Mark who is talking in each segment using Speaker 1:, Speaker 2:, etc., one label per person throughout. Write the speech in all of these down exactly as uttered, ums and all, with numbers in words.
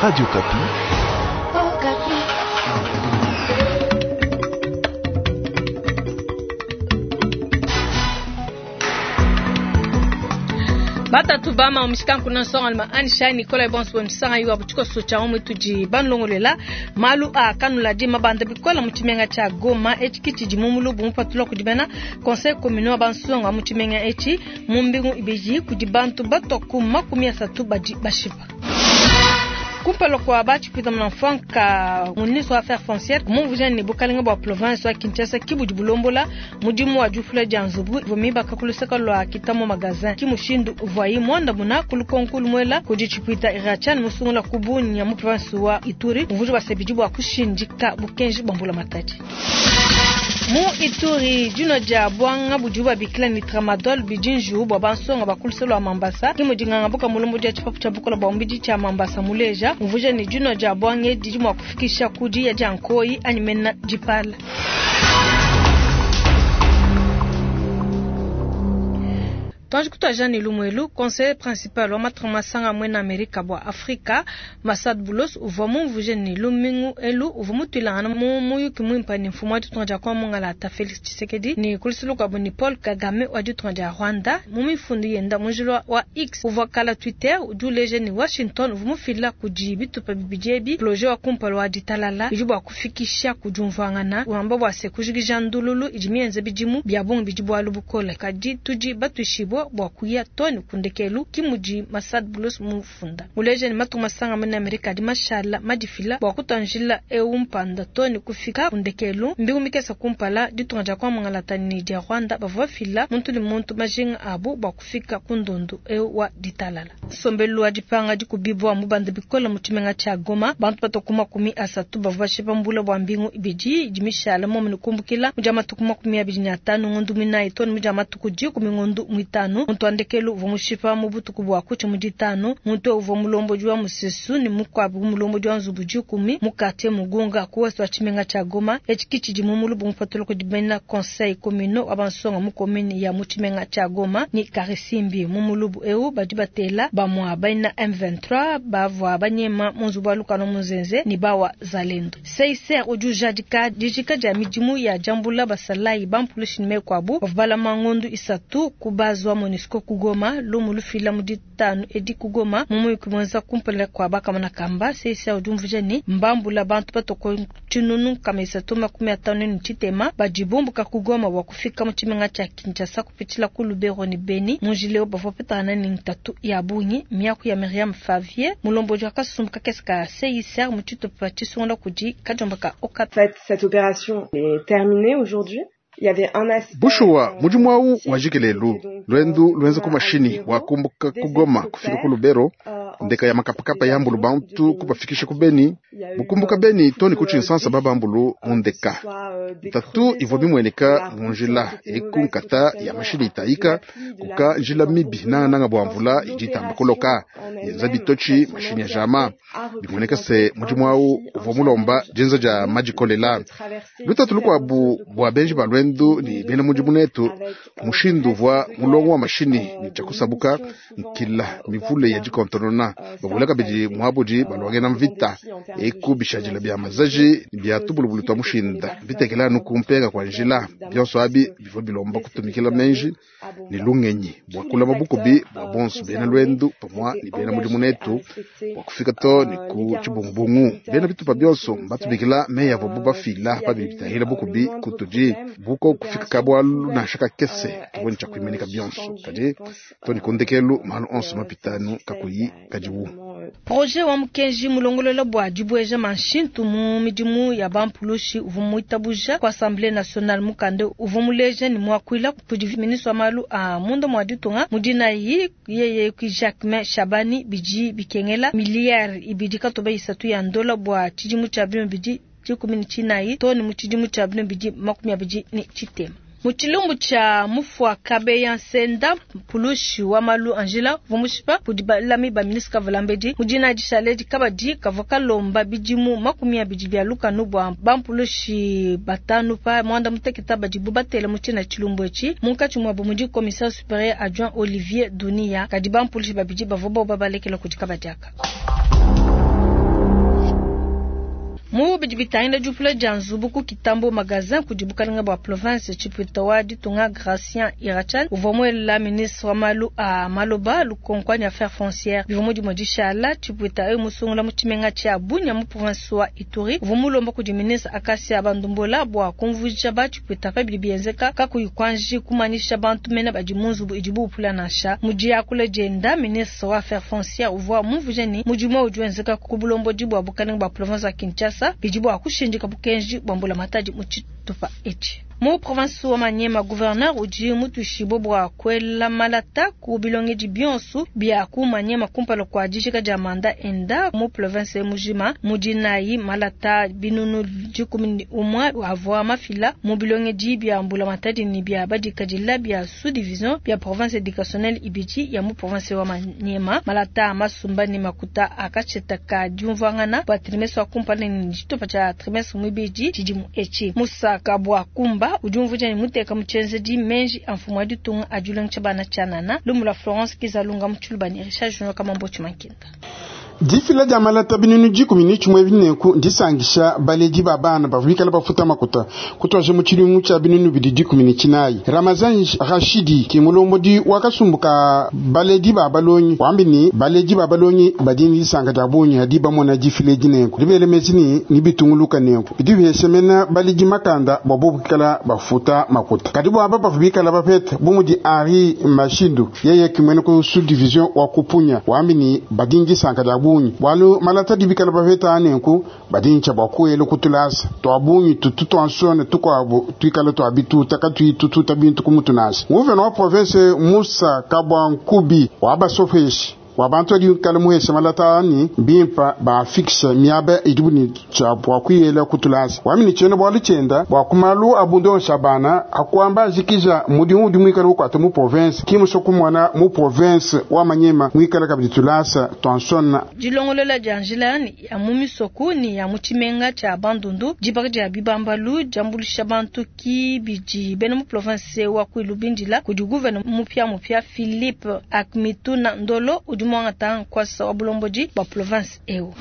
Speaker 1: Radio Okapi.
Speaker 2: Batatu bama omishikanku na nsonga alima anisha Nicolas Bonso msanga yuwa butiko socha omwe tudi banlongolela malu a kanula di mabanda bikola mu tshimenga tsha Goma etshi kitshidi mu mulubu mupatula kudi bena conseil communal wa bansonga mu tshimenga etshi mu mbingu ibidi kudi bantu batwa ku makumi asatu badi bashipa. Kumpala kwa batshipita muna mfanka ministre wa affaires foncières mumvuja ne bukalenga bua province wa Kinshasa kibudi bulombola mudimu wa difula dia nzubu ivua mibaka ku luseke lua Kitamo magasin ki mushindu uvuayi muandamuna ku lukonko lumuela kudi tshipita Irachan musungula ku Bunia mu province wa Ituri mvuja basebidi bua kushindika bukenji bua mbula matadi. Mu Ituri dino dia bwanga budi babikila ni tramadol bidinju bwa bansonga bakuluse lwa Mambasa ki mudinganga buka mulumbu dia tshipapu tsha bukola bwa mbidi tsha Mambasa muleja mvuja ni dino dia bwange didi mwa kufikisha kudi ya jankoi animena dipala. Twanji kutwa Jean Lumwelu, conseiller principal wa matra masanga mwena Amerika bwa Afrika, Massad Boulos uvua mumvuje ni lumingu elu uvua mutwilangana mu muyuki mwimpa ni mfumu wa ditunga dia kwa mongala ata Felix Tshisekedi ni kulisuluka abu ni Paul Kagame wa ditunga dia Rwanda mu mifundu yenda munjilwa wa X uvua kala Twitter udi uleja ni Washington uvua mufila kudi bitupa bibidi ebi projet wa kumpala wa ditalala idi bua kufikisha kujumvuangana wamba bua se kujikija ndululu idi mienze bidimu bia bungi bidi bualu bukole kadi tudi batuishibua bua kuya toni kundekelu kimudi Massad Boulos mufunda muleja ni matu masanga mena Amerika di mashala madifila bua kutanjila eu mpanda toni kufika kundekelu mbingu mikesa kumpala ditunga dia kwa mongala ni dia Rwanda bavua fila muntu ni muntu majinga abu bua kufika kundundu eu wa ditalala sombelu wa dipanga dikubibwa mubanda bikola mu tshimenga tsha Goma bantu batoku makumi asatu bavua bashipa mbula bua mbingu ibidi idi mishala momu nikumbukila mudia matuku makumi abidi ne atanu ngondu minayi toni mudia matuku dikumi ngondu mwitanu muntu andekelu uvua mushipa mu butuku bua kutsha mu ditanu muntu uvua mulombodi wa musesu ni mukwabu mulombodi wa nzubu dikumi mu quartier Mugunga ku west wa tshimenga tsha Goma etshi kitshidi mu mulubu mupatula kudi bena conseil communal wa bansonga mu commune ya mu tshimenga tsha Goma ni Karisimbi mu mulubu eu badi batela bamwa baina M vingt-trois bavua banyema mu nzubu wa lukano muzenze ni bawa zalendo C I C R udi ujadika dijika dia midimu ya jambula basalayi bampulushi ne mekwabu bavua balama ngondu isatu kubazwa MONUSCO kugoma lumu lufila mu ditanu edi kugoma mumuyuki mwenza kumpala kwa bakamana kamba C I C R udi umvuja ni mbambula bantu batoko tshinunu nkama isatu makumi atanu ne tshitema badibumbuka kugoma bua kufika mu tshimenga tsha Kinshasa kupitshila ku Lubero ni Beni munjileo bavua petana ni ntatu ya bungi miaku ya Myriam Favier mulombodi wa kasumbu kakese ka C I C R mu tshitupa tshisungula kudi kajomba ka Okapi.
Speaker 3: En fait, cette opération est terminée aujourd'hui. Il y avait un aspect
Speaker 4: Bushuwa mudimu awu wajikelelu lwendu lwenza ku mashini wakumbuka kugoma kufika ku Lubero ndeka ya makapakapa ya mbulu bantu kubafikisha ku Beni bukumbuka Beni toni kuchinsansa babambulu mundeka tatu ivua bimweneka munjila eku nkata ya mashini itayika kuka njila mibi nangananga bua mvula idi kuloka yenza bitochi mashini ya jama bimweneka se mudimu awu uvua mulomba jenza ja majikolela lutatu lukwabu bua benji ba lwendu ni bena mudimu netu mushindu uvua mulongo wa mashini ni chakusabuka nkila mivule ya jikontonona babula kabidi muabudi balwangena mvita eku bishajila bya mazaji bya tubulubulu twa mushinda bitekela nukumpenga kwa njila byonso abi bivua bilomba kutumikila menji ni lungenyi bua kulama bukubi bua bonso bena lwendu pamwa ni bena mudimu netu bua kufika to ni ku tshibungubungu bena bitupa byonso mbatumikila meya bobu bafila pabi bitahila bukubi kutudi buko kufika kabwalu na shaka kese tubone cha kuimenika byonso kadi to ni kundekelu malu onso mapitanu kakuyi kadiwu.
Speaker 2: Projet wa mukenji mulongolola bua dibweja manshintu mu midimu ya bampulushi uvua muitabuja ku Assemblée nationale mukande uvua muleja ni muakuila kudi ministre wa malu a munda mua ditunga mudinayi yeye ki Jacquemain Shabani bidi bikengela miliyari ibidi katoba isatu ya ndola bua tshidimu tshia binu bidi dikumi ne tshinayi to ne mu tshidimu tshia binu bidi makumi abidi ne tshitema. Mu tshilumbu tsha mufua Kabeya Nsenda mpulushi wa malu Angela vumushipa kudi balami ba ministre Kavalambedi mudina dishaledi kabadi kavua kalomba bidimu makumi abidi bia lukanu bua bampulushi batanu pa mwanda muteketa badibu batela mu tshina tshilumbu etshi munkatshi muabu mudi commissaire supérieur adjoint Olivier Dunia kadi bampulushi babidi bavua boba balekela kudi kabadi aka. Mu bidi bitangila diupula dia nzubu ku Kitambo Magazin kudi bukalenga bua province tshipwita wa ditunga Gracien Irachan uvua muela ministre wa malu a maloba lukonko anyi affaires foncières bivua mu dimue dishala. Tshipwita eu musungula mu tshimenga tshia Bunia mu province wa Ituri uvua mulomba kudi ministre Acacia Bandumbola bua kumvuija ba tshipwita pa bidi bienzeka kakuyi kuanji kumanyisha bantu mena badi mu nzubu idibu upula nansha. Mu diakula dienda ministre wa affaires foncières uvua mumvuije ne mudimu udi wenzeka ku bulombodi bua bukalenga bua province wa Kinshasa bidi bua kushindika bukenji bua mbulamatadi mu tshitupa etshi. Mu province wa Maniema, gouverneur udi mutuishibue bua kuela malata ku bilongedi bionso bia ku Maniema kumpala kua dijika dia manda enda mu province mujima. Mu dinayi malata binunu dikumi ne umue avua mafila mu bilongedi bia mbulamatadi ne bia badikadila bia sous-division bia province éducationnelle ibidi ya mu province wa Maniema. Malata masumba ne makuta akatsheta ka diumvuangana bua trimestre wa kumpala ne tshitupa tshia trimestre muibidi tshidimu etshi. Musaka bua kumba udi umvuija ne muteka mu tshienzedi menji a mfumu wa ditunga a dilongesha bana tshianana. Lumu lua Florence Kizalunga mu Tshiluba ne Richard Junior Kamambo Tshimankinda.
Speaker 1: Difila dia malata binunu dikumi ne tshimue bineku ndisangisha baledi ba bana bavua bikala bafuta makuta kutwaje mu tshidimu tshia binunu bidi dikumi ne tshinayi. Ramazan Rashidi ke mulombodi wakasumbuka baledi ba balonyi wambi ni baledi ba balonyi badi ne disanka dia bungi adi bamona difila dineku dibele mezi ni ni bitunguluka neku bidi bihesemena baledi makanda bua bobu bikala bafuta makuta kadi bua aba bavua bikala bapeta bu mudi Henri Mashindu yeye kimwene ku sous-division wa kupunya wambi ni badi ne disanka dia bungi bwalu malata dibikala bapeta nenku badincha bwa kuela kutulasa twabungi tutu twansone tukwabo twikala twabituta katwitututa bintu kumutunasa. Nguvena wa province Musa Kabwankubi wabasofeshi wabantu adi kala muhesha malata ani bimpa ba fixe miaba idibu ni cha bwa kuyela kutulasa wamini chene bwa chenda bwa kumalu abundo shabana akwamba zikija mudimu udi mwikala ukwata mu province kimuso kumwana mu province wa Manyema mwikala kabidi tulasa twansona.
Speaker 2: Dilongolola dia njila ya mu misoko ni ya mu tshimenga tshia Bandundu dibaka dia bibambalu diambulisha bantu kibidi bena mu province wa Kwilu bindila kudi gouverneur mupya mupya Philippe Akmituna Ndolo udi mwangata nkwasa wa bulombodi bwa province eu.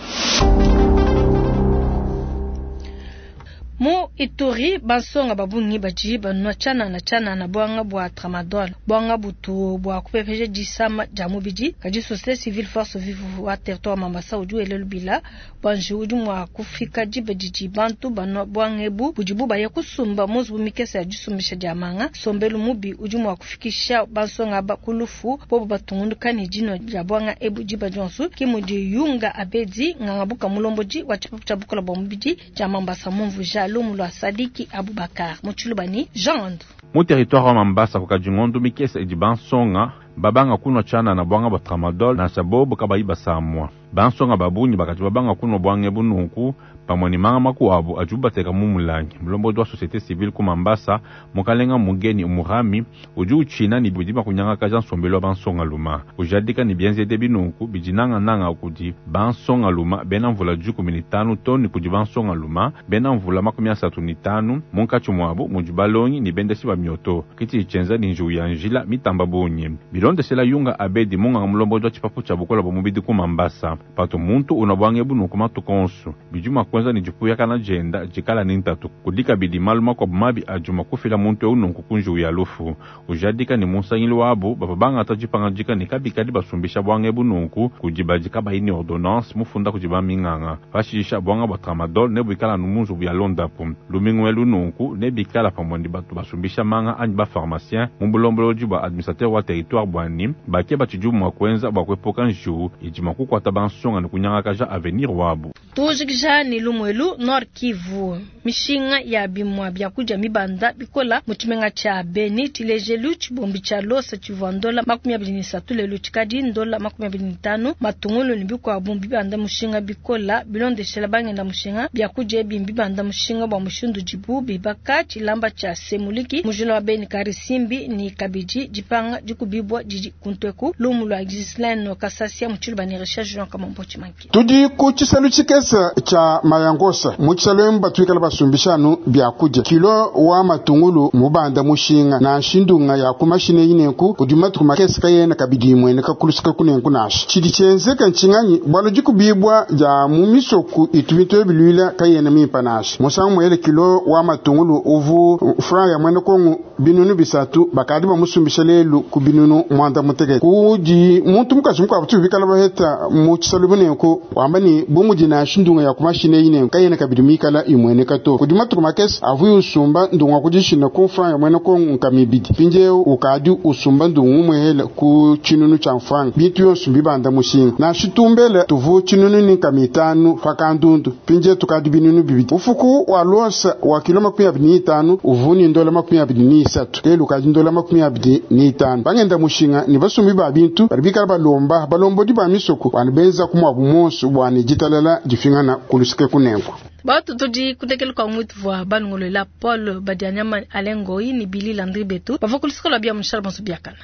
Speaker 2: Mu Ituri bansonga babungi badi banwa tshianana tshianana bwanga bwa tramadol bwanga butu bwa kupepeja disama dia mubidi kadi société civile force vive wa territoire Mambasa udi wele lubila bwanji udi mwa kufika diba didi bantu banwa bwanga ebu budibu baya kusumba muzubu mikese ya disumbisha dia manga sombelu mubi udi mwa kufikisha bansonga ba kulufu bobo batungunduka ne dino dia bwanga ebu diba dionso kimudi yunga abedi ngangabuka mulombodi wa tshipapu tshia bukola bwa mubidi dia Mambasa mumvuja lumu lwa Sadiki Abubakar mu Tshilubani Jean
Speaker 5: Mu territoire wa Mambasa kukadingondo mikese idi bansonga babanga kunwa tshianana bwanga bwa tramadol nansha bobo kabayi basamwa. Bansonga babungi bakati babanga kunwa bwange bununku pamwe ni manga makuabu adi bateka mu mulangi. Mulombodi wa société civile ku Mambasa mukalenga mugeni umurami udi utshina ni bidi bakunyangakaja nsombelu wa bansonga luma ujadika ni bienzede binunku bidi nangananga kudi bansonga luma bena mvula dikumi ne tanu to ni kudi bansonga luma bena mvula makumi asatu ne tanu munkatshi muabu mudi balongi ni bendesi ba mioto kiti tshienza ni njiwu ya njila mitamba bungi bilondeshela yunga abedi munganga mulombodi wa tshipapu tshia bukola bwa mubidi ku Mambasa pato muntu unabwange bununku matuku onso bidi mua kuenza ni dipuyakana dienda dikala ni ntatu kudika bidi malu makuabu mabi adi mua kufila muntu eu nunku ku njiwu ya lufu ujadika ni munsangili wabu bava bangata dipangadika ni kabikadi basumbisha bwange bununku kudi badi kabayi ni ordonnance mufunda kudi baminganga pashisha bwanga bwa tramadol ne buikala nu munzubu ya londapu lumingu elu nunku ne bikala pamue ni batu basumbisha manga anyi bapharmacien mu bulombolodi bua administrateur wa territoire bwani bake batshidi mua kuenza bua kuepuka njiwu idi mua kukuata bansonga ni kunyangakaja avenir wabu.
Speaker 2: Tujikija ni lumwelu Nord Kivu mishinga ya bimwa bya kuja mibanda bikola mu tshimenga tshia Beni tshilejelu tshibombi tshia losa tshivua ndola makumi abidi ne isatu lelu tshikadi ndola makumi abidi ne tanu matungulu ne bikuabu bibanda mushinga bikola bilondeshela bangenda mushinga bya kuja ebi bibanda mushinga bwa mushindu dibu bibaka tshilamba tshia semuliki mujila wa Beni Karisimbi ni kabidi dipanga dikubibwa didi kuntweku lumu lwa Gislaine Kasasia mu Tshiluba ne Richard Jean Kamambo Tshimanki.
Speaker 1: Tudi ku tshisalu tshikese tshikese tshia Mayangosa mu tshisalu batuikala basumbishanu byakudia kilo wa matungulu mubanda mushinga nansha ndunga ya ku mashine inenku kudi matuku makese kayena kabidi imweneka kulusika kunenku nansha tshidi tshienzeka ntshinganyi bwalu dikubibwa dia mu misoku itu bintu ebilwila kayena mimpa nansha musangu muele kilo wa matungulu uvu franc ya mwene kongo binunu bisatu bakadi bamusumbisha lelu ku binunu mwanda mutekete kudi muntu mukaji mukuabu tubikala baheta mu tshisalu bunenku wamba ni bumudi nansha ndunga ya ku mashine inenku kayena kabidi mikala imweneka to kudi matuku makese avuye usumba ndunga kudishina ku franc ya mwene kongo nkamibidi mpindieu ukadi usumba ndungu umwehela ku tshinunu tshia mfranga bintu yonso mbibanda mushinga nansha tumbele tuvu tshinunu ni nkama itanu pakandundu mpindieu tukadi binunu bibidi ufuku wa losa wa kilo makumi abidi ni itanu uvu ni ndola makumi abidi ni isatu lelu ukadi ndola makumi abidi ni itanu bangenda mushinga ni basumbi ba bintu badi bikala balomba balombodi ba misoko bana benza kumwabu monso bwana ditalala difingana kulusike kunenku
Speaker 2: Batu tudi kudekela kwa mwitu vwa balungolola Paul Badianyama Alengoi ni Billy Landry Betu bava kulusika lwa bia mushala bonso biakana.